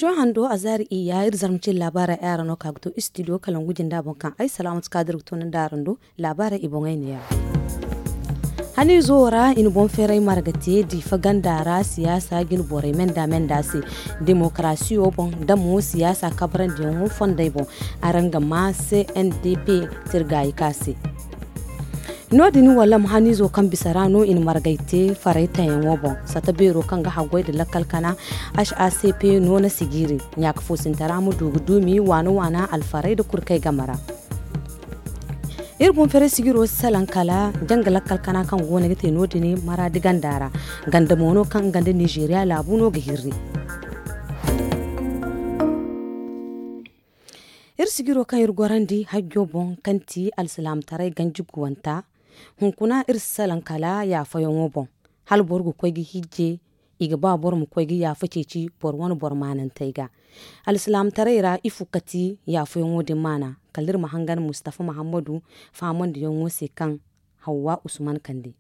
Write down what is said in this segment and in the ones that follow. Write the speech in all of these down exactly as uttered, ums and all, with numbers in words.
Hando a zaari iyya iri zarma cine laabaarey ay araŋ no ka ga to istidiyo kalangu jinda boŋ kaŋ ay salaamatu kaadir ga to ni nd'araŋ do. Laabaarey i boŋey neera. Haniizo wo ra i na boŋ feeray marga te diifa ganda ra siyaasa jine borey menda menda se, demokarasiyo boŋ nda mo siyaasa kabarandiyaŋo fondey boŋ. Araŋ ga ma cndp tirgaayi ka se. No- din wallam haniizo kaŋ bisa ra no i na margay te faray tayaŋo boŋ sata beero kaŋ ga haggoy nda lakkal kana. H a c p no na sijiiri ɲaaka foosintara ma du ga duumi waana waana alfaray nda kurkay game ra. Iri boŋ feeray sijiro si salaŋ kala janga lakkal kana kaŋ go no ga te no- din maraadi ganda ra. Ganda mo no kaŋ nga nda nizeeriya laabu no ga hirri. Iri sijiro kaŋ iri gorandi hajjo boŋ kaŋ ti alsilaamataray ganji guwanta. Hunkuna iri si salaŋ kala yaafayaŋo boŋ. Hala boro ga koy ga hijje i ga ba boro ma koy ga yaafa ceeci boro wane boro maanantey ga. Alsilaamataray ra ifo ka ti yaafayaŋo din maana? Kala iri ma hangan mustafa muhammadu faamandiyaŋo se kaŋ hawwa usman kande.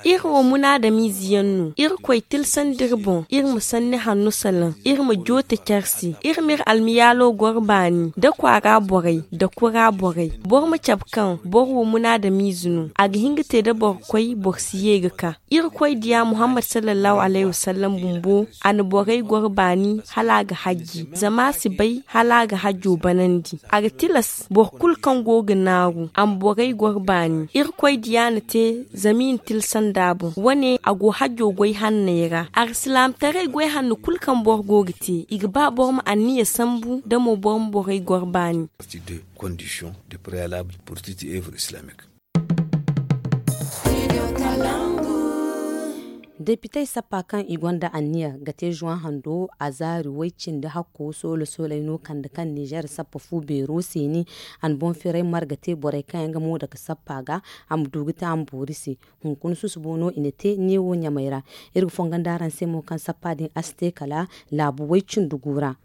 Iri wo munaadamiize yaŋ no. Irkoy tilsandi iri boŋ iri ma sanni hanno salaŋ. Iri ma joote care se. Iri m'iri almiyaalo goro baani nda kwaara borey nda kura borey. Boro ma cabe kaŋ boro wo munaadamiize no a ga hin ga te nda boro koy boro si ye ga ka. Irkoy diya muhammad sallallahu alayhi wasallam bumbo a na borey goro baani hala a ga hajji zama a si bay hala a ga hajjo banandi. A ga tilas boro kulu kaŋ go ga naaru a ma borey goro baani. Irkoy diya na te zama i na tilsa nd'a boŋ wane a go hajjo goy hanney ra. Alsilaamataray goy hanno kulu kaŋ boro go ga te i ga ba boro ma anniya sambu nda mo boro ma borey goro baani. Depitey sappa kaŋ i gonda anniya ga te zuwan hando a zaari way cindi hakko soolo soolay no kande kaŋ nizeer sappa fu beero seeni. A na boŋ firay marga te borey kaŋ yaŋ ga mooda ga sappa ga a ma du ga te a ma boori se. Hunkuna susubo no i na te neewo ɲamey ra. Iri ga fongondi araŋ se mo kaŋ sappa din a si te kala laabu way cindi gu ra.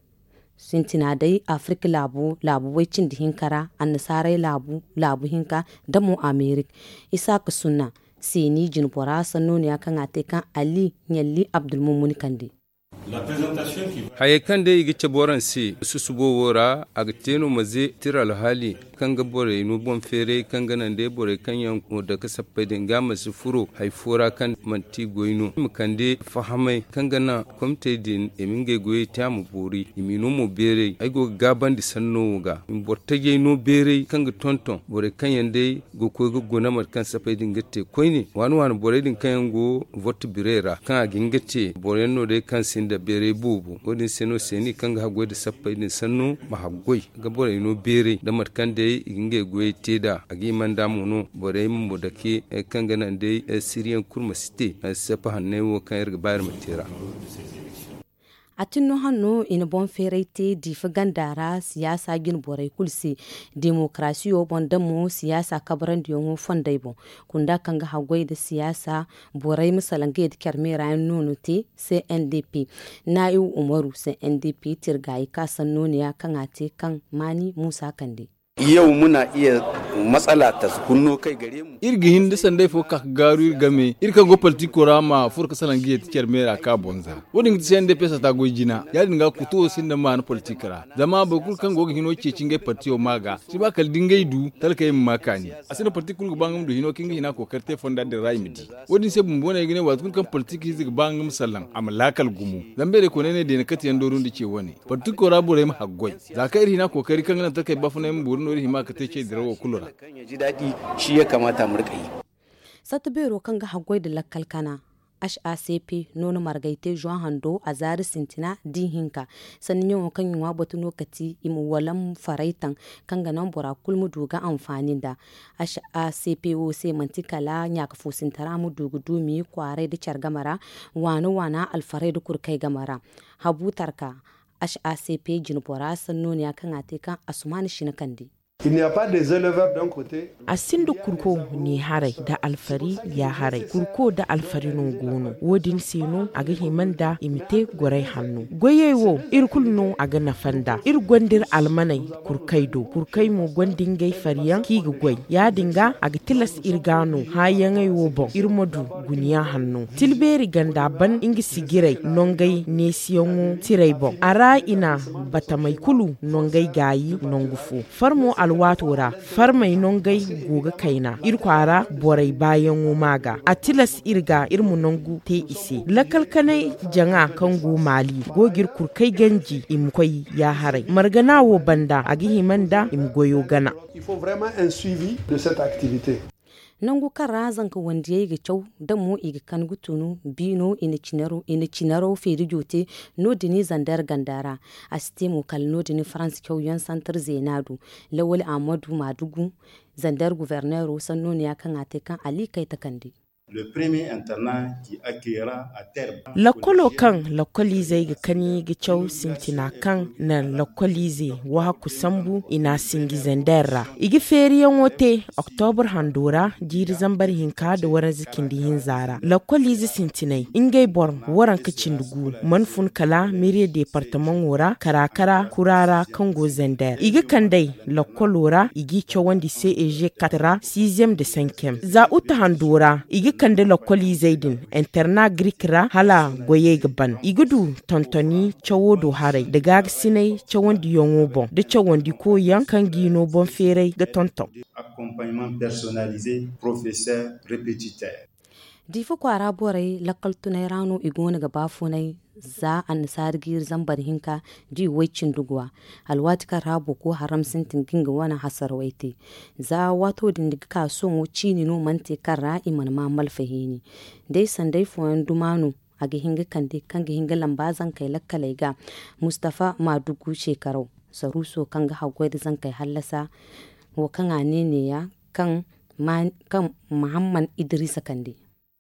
Sintina day afirik laabu laabu way cindi hinka ra annasaaray laabu laabu hinka nda mo amerik. Isaaka sunna seeni jinbora sannooniya kaŋ a te kaŋ ali ɲalli abdulmumuni kande. Hayey kaŋ day i ga cabe waraŋ se susubo wo ra a ga te no ma ze tira alhaali kaŋ ga borey no boŋ feeray kaŋ ga naŋ day borey kaŋ yaŋ go dake sappey din ga a ma si furo hari fo ra kaŋ manti goy no i ma kande fahamay kaŋ ga naŋ komitey din i ma ngey goyey te a ma boori i m'i no mo beeray ay go ga gaabandi sanno wo ga i ma boro tajey no beeray kaŋ ga tonton borey kaŋ yaŋ day ga koy ga guna mate kaŋ sappey din ga te koyne waani waani borey din kaŋ yaŋ go vorti birey ra kaŋ a ga hin ga te boro yaŋ no day kaŋ sinda beeray boobo wo- din se no seeni kaŋ ga haggoy nda sappey din sanno ma haggoy ga borey no beeray nda mate kaŋ day i ga ngey goyey te nd'a a ga hima nd'a mo no borey ma mo dake kaŋ ga naŋ day siriyaŋ kulu ma si te sappa hanney wo kaŋ iri ga ba iri ma te ra. A tin no hanno i na boŋ feeray te diifa ganda ra siyaasa jine borey kulu se demokarasiyo boŋ nda mo siyaasa kabarandiyaŋo fondey boŋ kunda kaŋ ga haggoy nda siyaasa borey ma salaŋ ga ye nda care meera yaŋ no no te. C n d p naa'ibu umaru c n d p tirgaayi ka sannooniya kaŋ a te kaŋ maani muusa kande. Yau muna iya matsala ta kunno kai gare mu. Iri ga hin da sanday fo ka ga gaaru iri game iri kaŋ go politiko ra ma furo ga salaŋ ga yeeti care meera ka bonza wo- din ga ti c n d p sata goy jina ya- din ga kuto wo sinda maana politik ra zama boro kulu kaŋ go ga hino ceeci ngey partiyo ma ga si ba kala da ngey du talkey ma ma kaani. A sinda politik kulu ga ba nga ma du hino kaŋ ga hina kookari te fonda din ra i ma di. Wo- din se bumbo no ay ga ne waati kulu kaŋ politik ize ga ba nga ma sallaŋ a ma laakal gumo. Zama beeray koonay ne deena kate yaŋ dooru nda ce wane politik koora borey ma haggoy za kaŋ iri hina kookari kaŋ ga naŋ takey baafunay ma boori no iri hima ga te ce dirawo kulu ra. Satta beero kaŋ ga haggoy nda lakkal kana h a c p no na margay te zuwa hando a zaari sintina da ihinka sanni ɲaŋo kaŋ i ŋwa batu no ka ti i ma walam faray taŋ kaŋ ga naŋ bora kulu ma du ga anfaani nda. H a c p wo se manti kala ɲaaka foosintara ma du ga duumi kwaaray nda care game ra waana waana alfaray nda kurkay game ra. Habu tarka h a c p jinbora sannooniya kaŋ a te kaŋ asumaana sina kande. A sinda kurko ne haray nda alfari ya haray. Kurko nda alfari no go no. Wo- din se no a ga hima nda i ma te goray hanno. Goyey wo, iri kulu no a ga nafa nda. Iri gonda iri almaney kurkey do. Kurkey mo gonda ngey fari yaŋ kaŋ i ga goy. Ya- din ga a ga tilas iri ga no hããyaŋey wo boŋ iri ma du guna yaŋ hanno. Tilbeeri ganda ban nga sijirey nongey neesiyaŋo tirey boŋ. A ra i na batamey kulu nongey gaayi nangu fo. Farmo alwaato ra farmey nongey go ga kayna iri kwaara borey baayaŋo ma ga a tilas iri ga iri ma nangu te i se. Lakkal kanay jaŋa kaŋ go maali go ga iri kurkay ganji i ma koy ya haray margana wo banda a ga hima nda i ma goyo gana. Nangu kaŋ ra zanka wandiyey ga caw da mo i ga kan ga tunu biino i na cinaro feerijo te. No- din zander ganda ra a si te mo kala no- din farans cawyaŋ santar zeena do. Lawal ahmadu maadugu zander guverneero sanno no ya kaŋ a te kaŋ ali kay takandi. Lakkolo kaŋ lakkoliizey ga kani ga caw sintina kaŋ na lakkoliize wahakku sambu i n'a sinji zander ra. I ga feeriyaŋo te oktobur hando ra jiiri zambar hinka nda waranza cindi hinza ra. Lakkoliize sintinay ngey boro waranka cindi gu mana fun kala miriye deepartamaŋo ra kara kara kura ra kaŋ go zander i ga kand'ey lakkolo ra i g'i cawandi ceg kat ra sizyem nda sankiyem za uta hando ra i ga kande lakkoliizey din interna grik ra hala goyey ga ban i ga du tontoni cawo do haray nda gaagasinay cawandiyaŋo boŋ nda cawandi koyyaŋ kaŋ g'i no boŋ feeray ga tonton. Diifa kwaara borey lakkal tunay ra no i go no ga baafunay za annasaari jiiri zambar hinka da i way cindi guwa. Alwaati kaŋ ra boko haram sintin ga nga wane hasarawey te za waato din ga ka sohõ ciini no mana te kaŋ ra i mana ma malfa hiini. Day sanday fooyaŋ duma no a ga hin ga kande kaŋ ga hin ga lamba zankey lakkaley ga. Mustafa maadugu seekaraw saruuso kaŋ ga haggoy nda zankey hallasa wo kaŋ a ne neeya kaŋ mahamman idiriisa kande.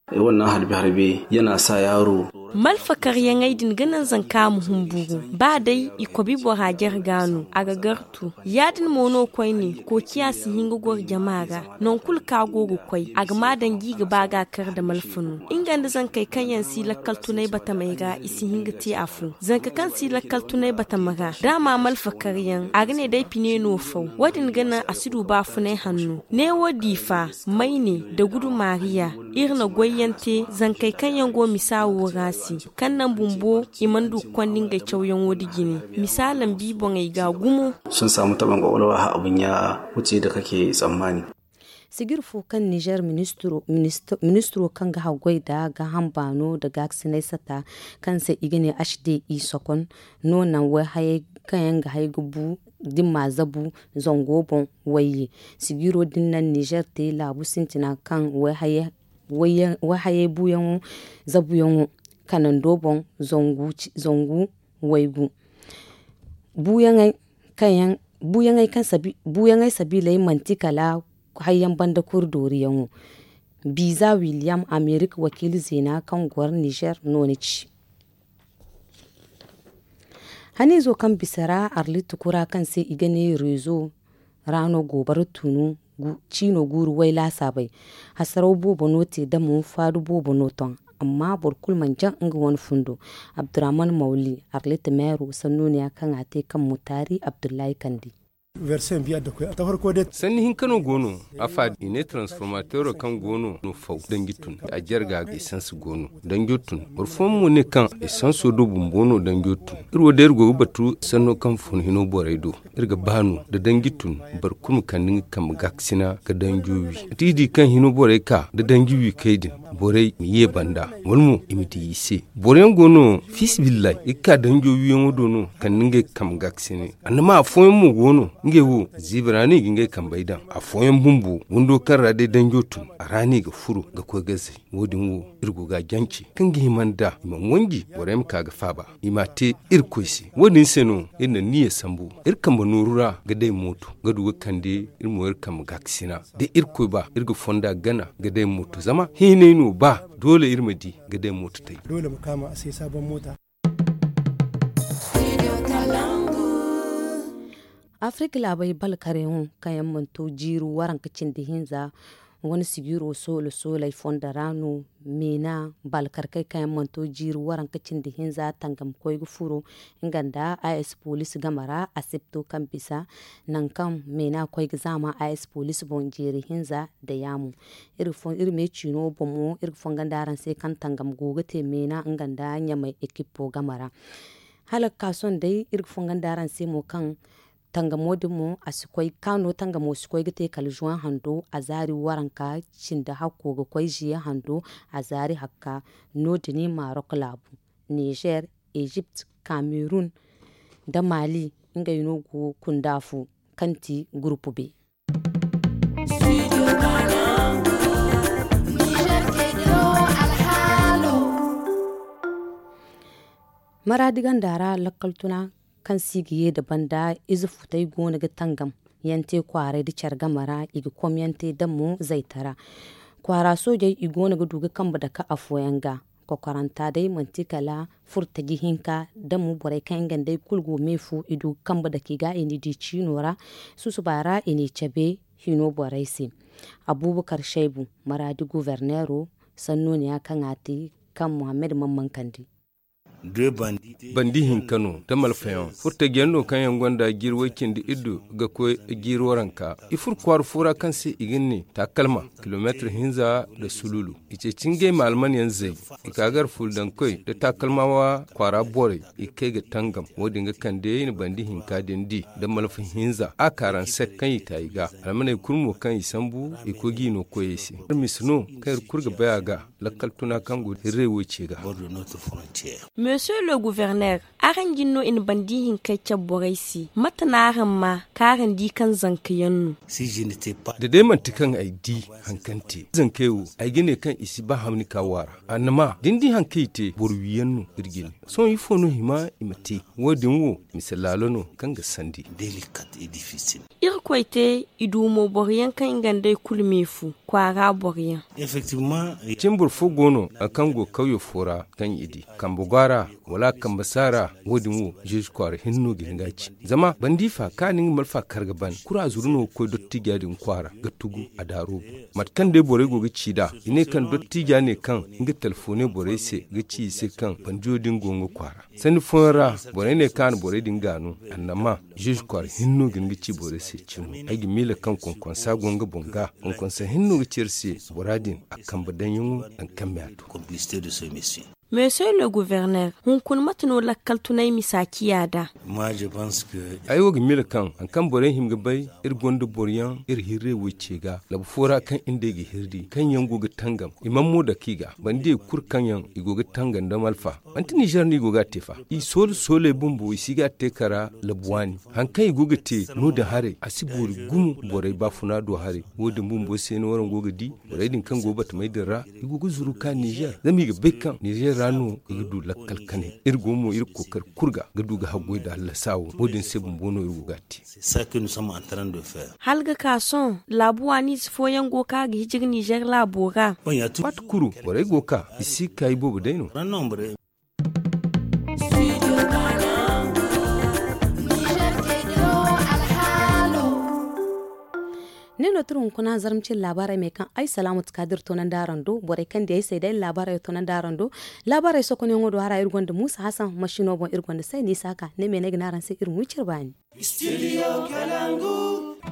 Ay wane na harbe harbe yana sa yaaro. Malfakaryaŋey din ga naŋ zanka ma humburu ba day i kobi bora jare ga no a ga gartu. Ya- din mo no koyne koociya si hin ga goro jama ra. Nangu kulu kaŋ a go ga koy a ga ma danji ga ba ga kar nda malfa no. Nga nda zankey kaŋ yaŋ si lakkal tunay batamey ra i si hin ga te afo zanka kaŋ si lakkal tunay batama ra da a ma malfakaryaŋ a ga ne day pine no faw. Wo- din ga naŋ a si du baafunay hanno neewo diifa mayne nda gudu maariya. Iri na goyyaŋ te zankey kaŋ yaŋ go misa wo ra se kaŋ naŋ bumbo i mana du ga konda ngey cawyaŋo nda jine. Misa lambi boŋey ga gumo. Sun saamu tabaŋ kwakwalwa ha abun ya wuce da kake tsammani. Sijir fo kaŋ nizer ministiro kaŋ ga haggoy nda gaaham baano nda gaakasinay sata kaŋ se i ga ne h d i sokon no naŋ wayhayey kaŋ yaŋ ga hay ga bu da i ma zabu zango boŋ wayye. Sijiro din naŋ nizer te laabu sintina kaŋ wayhayey buuyaŋo zabuyaŋo kanando boŋ zangu waygu. Buuyaŋey kaŋ sabi buuyaŋey sabiiley manti kala hayyaŋ banda kuri dooriyaŋo. Biza wiliyam amerika wakiila zeena kaŋ goro nizer no ni ci. Haniizo kaŋ bisa ra arlit kura kaŋ se i ga ne rezo ra no goobara tunu ciino guuru way laasaabey. Hasaraw boobo no te damo faadu boobo no ton. Amma boro kulu mana jaŋ nga wane fundo. Abdurahman mawli arlit meero sannu neeya kaŋ a te kaŋ mutaari abdullahi kandi. Sanni hinka no go no. Afa i ne transformatero kaŋ go no no faw danji tun a jarga esanse go no danjo tun. Boro fooyaŋ mo ne kaŋ esanso do bumbo no danjo tun. Iri wo day iri go ga batu sanno kaŋ fun hino borey do. Iri ga ba no da danji tun boro kulu ma kande nga kambe gaakasina ga danjo wi. Mate i di kaŋ hino borey ka da danji wi kay din borey ma ye banda wala mo i ma di i se. Boro yaŋ go no fiisabilillahi i ga ka danjo wiyaŋo do no kande ngey kambe gaakasina. Annama afooyaŋ mo go no ngey wo ziibi ra no i ga ngey kambey daŋ. Afooyaŋ bumbo windo kaŋ ra day danjo tun a ra no i ga furo ga koy ga zay. Wo- din wo iri go ga a jance kaŋ ga hima nda i mana wanji borey ma ka ga faaba. I m'a te irkoy se. Wo- din se no iri na niyya sambu iri kambe nooru ra ga day mooto ga du ga kande iri mo iri kambe gaakasina. Da irkoy ba iri ga fonda gana ga day mooto zama hiinay no ba doole iri ma di ga day mooto tay. Doole ma kaama a se sabon moota. Afirik laabey balkareyaŋo kaŋ yaŋ mana to jiiri waranka cindi hinza wane sijiro soola sooley fondo ra no. Meena balkarkey kaŋ yaŋ mana to jiiri waranka cindi hinza tangam koy ga furo nga nda a s poliisi game ra asibto kaŋ bisa nangu kaŋ meena koy ga zaama a s poliisi boŋ jeeri hinza nda yaamo. Iri me ciino boŋ mo iri ga fongondi araŋ se kaŋ tangam go ga te meena nga nda ɲamay ekipo game ra. Hala ga ka sohõ day iri ga fongondi araŋ se mo kaŋ tangamo din mo a si koy kaano tangamo si koy ga te kala zuwan hando a zaari waranka cindi hakko ga koy ziye hando a zaari hakka. No- din marok laabu, nizer, ezipt, kamerun, nda mali ngey no go kunda fo kaŋ ti gurupu be. Maraadi ganda ra lakkal tuna kaŋ se i ga ye nda banda ize futey go no ga tangam yaŋ te kwaaray nda care game ra i ga komyaŋ te damo zaytara. Kwaara soojey i go no ga du ga kambe dake afooyaŋ ga. Kokoranta day manti kala furtaji hinka damo borey kaŋ yaŋ gandey kulu go me fu i du ga kambe dake i ga i n'i di ciino ra. Susuba ra i n'i cabe hino borey se. Abubakar shaybu maraadi guverneero sanno ne ya kaŋ a te kaŋ muhammad man mankandi. Bandi hinka no da malfayaŋ furtajiyaŋ no kaŋ yaŋ gonda jiiri way cindi iddu ga koy jiiri waranka. I furo kwaara fo ra kaŋ se i ga ne takalma kilomeetir hinza nda sululu. I ceeci ngey ma almanyaŋ zay i ka gar fuldankoy nda takalmawa kwaara borey i kay ga tangam. Wo- din ga kande i na bandi hinka din di nda malfa hinza a kaaranse kaŋ i ta i ga almaney kulu mo kaŋ i sambu i koy ga i no koyey se. Iri misa no kaŋ iri kulu ga bay a ga lakkal tuna kaŋ go hirrey wo ce ga. Monsieur le gouverneur, araŋ jin no i na bandi hinkey cabe borey se mate no araŋ ma kaŋ araŋ di kaŋ zanka yaŋ no? Da day manti kaŋ ay di haŋ kaŋ te zankey wo ay ga ne kaŋ i si ba hamni ka waara. Annama da ni di haŋ kaŋ i te boro wiyaŋ no iri ga ne. Sohõ ifo no hima i ma te? Wo- din wo mise laalo no kaŋ ga sandi. Irkoy te i du mo boro yaŋ kaŋ i ga nd'ey kulu me fu kwaara boro yaŋ. Cin boro fo go no hari kaŋ go kawyo fo ra kaŋ i di kambe go a ra wala a kambe si a ra. Wo- din wo ziize kwaara hinne no ga hin ga a ci. Zama bandi fa kaŋ a na nga malfa kar ga ban kura zuru no ga koy dottija din kwaara ga tugu a daaro boŋ. Mate kaŋ day borey go ga ci nd'a i ne kaŋ dottija ne kaŋ nga telefoone borey se ga ci i se kaŋ bandiyo din go nga kwaara. Sanni fooyaŋ ra borey ne kaŋ a na borey din gaanu. Annama ziize kwaara hinne no ga hin ga ci borey se cimo. Ay ga miila kaŋ konkonsa go nga boŋ ga konkonsa hinne no ga ci iri se bora din a kambe daŋyaŋo nangu kaŋ me a to. Monsieur le gouverneur, hunkuna mate no lakkal tunay misa ciya nd'a? Ay wo ga miila kaŋ hari kaŋ borey hima ga bay iri gonda boro yaŋ iri hirrey wo ce ga labu fo ra kaŋ iri nd'ey ga hirri kaŋ yaŋ go ga tangam i mana mo dake i ga banda i kulu kaŋ yaŋ i go ga tangam nda malfa. Manti nizer no i go ga a te fa. I soole sooley bumbo i si ga a te kara labu waani. Hari kaŋ i go ga te no- din haray a si boori gumo borey baafuna do haray. Wo- din bumbo se no waraŋ go ga di borey din kaŋ go batamey din ra i go ga zuru ka nizer zama i ga bay kaŋ nizer ra no i ga du lakkal kanay. Iri go mo iri ga kookari kulu ga ga du ga haggoy nda hallasa wo wo- din se bumbo no iri go ga a te. Hala ga ka sohõ laabu waaniize fooyaŋ go ka ga hijiri nizer laabo ra. Waati kulu borey go ka i si ga ka iboobo day no. Ne no tira hunkuna zarma cine laabaarey me kaŋ ay salaamu ti ka da iri toonandi araŋ do borey kaŋ di ay se day laabaarey toonandi araŋ do. Laabaarey sokonyaŋo do hara iri gonda muusa hasan masino boŋ iri gonda sayni isa ka ne me no ay ga ne araŋ se iri ma wi cire baani.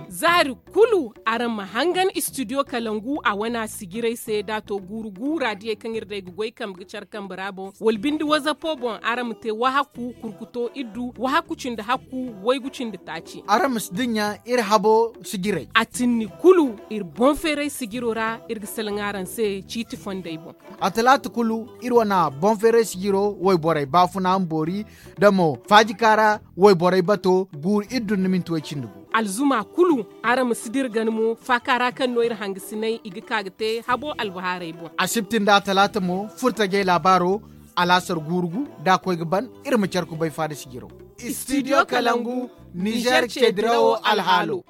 Zaari kulu araŋ ma hangan istidiyo kalangu a wane a sijirey se da a to guuru guura diyey kaŋ iri day ga goy kambe ga care kambe ra boŋ wala binde wazapo boŋ araŋ ma te wahakku kurkuto iddu wahakku cindi hakku waygu cindi taaci. Araŋ ma si dinya iri habo sijirey a tinni kulu iri boŋ feeray sijiro ra iri ga salaŋ araŋ se ciiti fondey boŋ. A talaata kulu iri wane boŋ feeray sijiro wayborey baafuna ma boori da mo faajika ra wayborey bato guuru iri dun nda minti way cindi gu. Alzuma kulu araŋ ma si dira gana mo faaka ra kaŋ no iri hangasinay i ga ka ga te habo albahaarey boŋ. Asibti nda atalaata mo furtajey laabaaro alaasar guuru gu da a koy ga ban iri ma care kubay faada sijiro. Istidiyo kalangu nizer ce dirawo alhaalo.